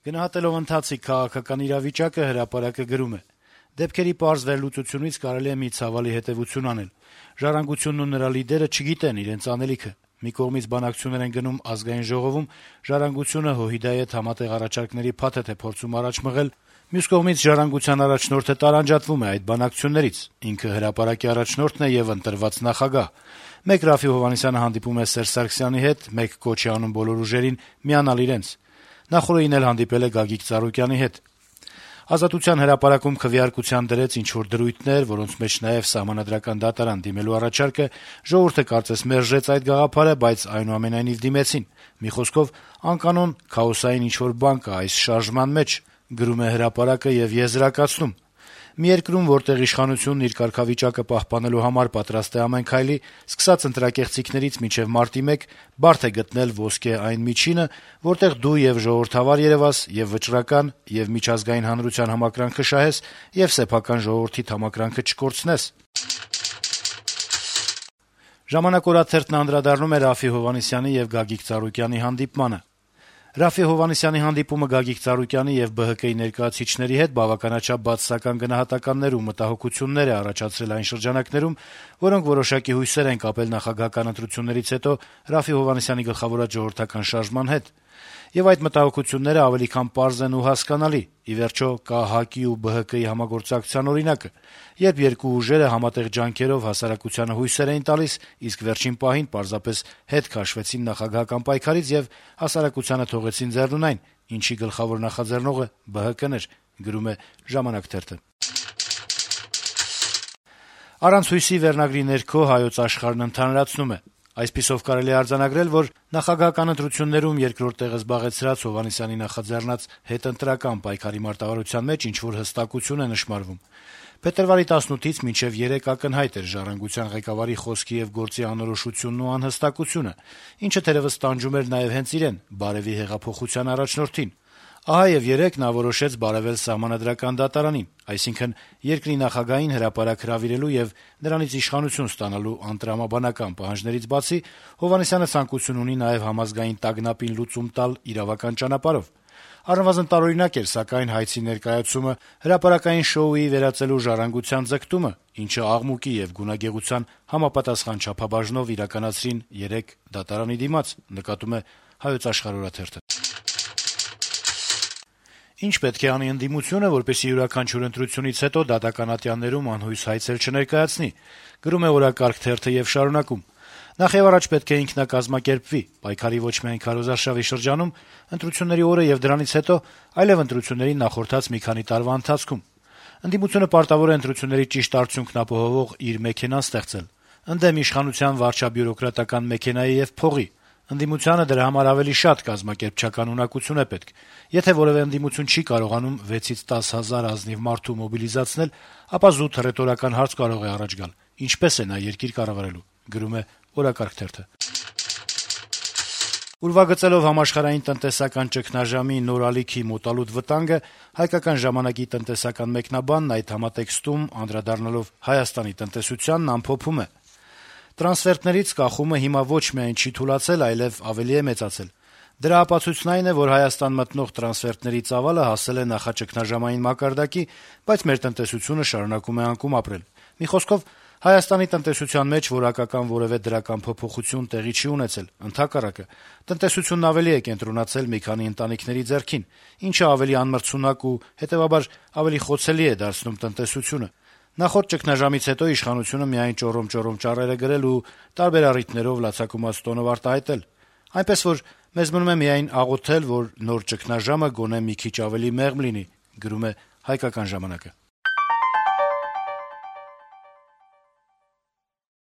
Գնահատելով ընթացիկ քաղաքական իրավիճակը հրապարակը գրում է. - «Դեպքերի պարզ վերլուծությունից կարելի է մի ցավալի հետեւություն անել. «Ժառանգությունն ու նրա լիդերը չգիտեն իրենց անելիքը»։ Մի կողմից բանակցություններ են գնում Ազգային ժողովում, «Ժառանգությունը» ՀՅԴ հետ համատեղ առաջարկների փաթեթ է փորձում առաջ մղել, մյուս կողմից Ժառանգության առաջնորդը տարանջատվում է այդ բանակցություններից, ինքը հրապարակի առաջնորդն է եւ ընտրված նախագահ։ Մեկ Ռաֆֆի Հովհաննիսյանը հանդիպում է Սերժ Սարգսյանի հետ, մեկ կոչ է անում բոլոր ուժերին միանալ իրենց։ Նախորդին էլ հանդիպել է Գագիկ Ծառուկյանի հետ։ Ազատության հրապարակում քվեարկության դրեց ինչ-որ դրույթներ, որոնց մեջ նաեւ Սահմանադրական դատարան դիմելու առաջարկը, ժողովուրդը կարծես մերժեց այդ գաղափարը, բայց այնուամենայնիվ դիմեցին։ Մի խոսքով, անկանոն, քաոսային ինչ-որ բան կա այս շարժման մեջ, գրում է հրապարակը եւ եզրակացնում. «Մի երկրում, որտեղ իշխանությունն իր կարգավիճակը պահպանելու համար պատրաստ է ամեն քայլի, սկսած ընտրակեղծիքներից մինչեւ մարտի 1, բարդ է գտնել ոսկե այն միջինը, որտեղ դու եւ ժողովրդավար երեւաս, եւ վճռական, եւ միջազգային հանրության համակրանքը շահես, եւ սեփական ժողովրդիդ համակրանքը չկորցնես»։ «Ժամանակ» օրաթերթն անդրադառնում է Ռաֆֆի Հովհաննիսյանի եւ Գագիկ Ծառուկյանի հանդիպմանը. - «Ռաֆֆի Հովհաննիսյանի հանդիպումը Գագիկ Ծառուկյանի եւ ԲՀԿ-ի ներկայացուցիչների հետ բավականաչափ բացասական գնահատականներ ու մտահոգություններ է առաջացրել այն շրջանակներում, որոնք որոշակի հույսեր են կապել նախագահական ընտրություններից հետո Ռաֆֆի Հովհաննիսյանի գլխավորած ժողովրդական շարժման հետ։ Եվ այդ մտահոգությունները ավելի քան պարզ են ու հասկանալի։ Ի վերջո, կա ՀԱԿ-ի ու ԲՀԿ-ի համագործակցության օրինակը, երբ երկու ուժերը համատեղ ջանքերով հասարակությանը հույսեր էին տալիս, իսկ վերջին պահին պարզապես հետ քաշվեցին նախագահական պայքարից եւ հասարակությանը թողեցին ձեռնունայն, ինչի գլխավոր նախաձեռնողը ԲՀԿ-ն էր», գրում է «Ժամանակ» թերթը։ «Առանց հույսի» վերնագրի ներքո «Հայոց Աշխարհ»-ն ընդհանրացնում է. - «Այսպիսով կարելի է արձանագրել, որ նախագահական ընտրություններում երկրորդ տեղը զբաղեցրած Հովհաննիսյանի նախաձեռնած հետընտրական պայքարի մարտավարության մեջ ինչ-որ հստակություն է նշմարվում։ Փետրվարի 18-ից մինչեւ 3 ակնհայտ էր «Ժառանգության» ղեկավարի խոսքի եւ գործի անորոշությունն ու անհստակությունը, ինչը թերեւս տանջում էր նաեւ հենց իրեն՝ Բարեւի հեղափոխության առաջնորդին։ Ահա եւ երեկ նա որոշեց բարեւել Սահմանադրական դատարանին, այսինքն՝ երկրի նախագահին հրապարակ հրավիրելու եւ նրանից իշխանություն ստանալու անտրամաբանական պահանջներից բացի Հովհաննիսյանը ցանկություն ունի նաեւ համազգային տագնապին լուծում տալ իրավական ճանապարհով։ Առնվազն տարօրինակ էր, սակայն, հայցի ներկայացումը, հրապարակային շոուի վերածելու «Ժառանգության» ձգտումը, ինչը աղմուկի եւ գունագեղության համապատասխան չափաբաժնով իրականացրին երեկ դատարանի դիմաց», նկատում է «Հայոց Աշխարհ» օրաթերթը։ Ինչ պետք է անի ընդդիմությունը, որպեսզի յուրաքանչյուր ընտրությունից հետո դատական ատյաններում անհույս հայցեր չներկայացնի, գրում է «Օրակարգ» թերթը եւ շարունակում. - «Նախ եւ առաջ պետք է ինքնակազմակերպվի, պայքարի ոչ միայն քարոզարշավի շրջանում, ընտրությունների օրը եւ դրանից հետո, այլեւ ընտրություններին նախորդած մի քանի տարվա ընթացքում։ Ընդդիմությունը պարտավոր է ընտրությունների ճիշտ արդյունքն ապահովող իր մեքենան ստեղծել, ընդդեմ իշխանության վարչաբյուրոկրատական մեքենայի եւ փողի։ Ընդդիմությանը դրա համար ավելի շատ կազմակերպչական ունակություն է պետք։ Եթե որեւէ ընդդիմություն չի կարողանում 6-ից 10 հազար ազնիվ մարդու մոբիլիզացնել, ապա զուտ հռետորական հարց կարող է առաջ գալ. ինչպե՞ս է նա երկիր կառավարելու», գրում է «Օրակարգ» թերթը։ Ուրվագծելով համաշխարհային տնտեսական ճգնաժամի նոր ալիքի մոտալուտ վտանգը, «Հայկական ժամանակ»-ի տնտեսական մեկնաբանն այդ համատեքստում, անդրադառնալով Հայաստանի տնտեսությանն, ամփոփում է. «Տրանսֆերտներից կախումը հիմա ոչ միայն չի թուլացել, այլեւ ավելի է մեծացել։ Դրա ապացույցն այն է, որ Հայաստան մտնող տրանսֆերտների ծավալը հասել է նախաճգնաժամային մակարդակի, բայց մեր տնտեսությունը շարունակում է անկում ապրել։ Մի խոսքով, Հայաստանի տնտեսության մեջ որակական որեւէ դրական փոփոխություն տեղի չի ունեցել, ընդհակառակը, տնտեսությունն ավելի է կենտրոնացել մի քանի ընտանիքների ձեռքին, ինչը ավելի անմրցունակ ու, հետեւաբար, ավելի խոցելի է դարձնում տնտեսությունը։ Նախորդ ճգնաժամից հետո իշխանությունը միայն ճոռոմ-ճոռոմ ճառեր է գրել ու տարբեր առիթներով լացակումած տոնով արտահայտել։ Այնպես որ մեզ մնում է միայն աղոթել, որ նոր ճգնաժամը գոնե մի քիչ ավելի մեղմ լինի», գրում է «Հայկական ժամանակ»-ը։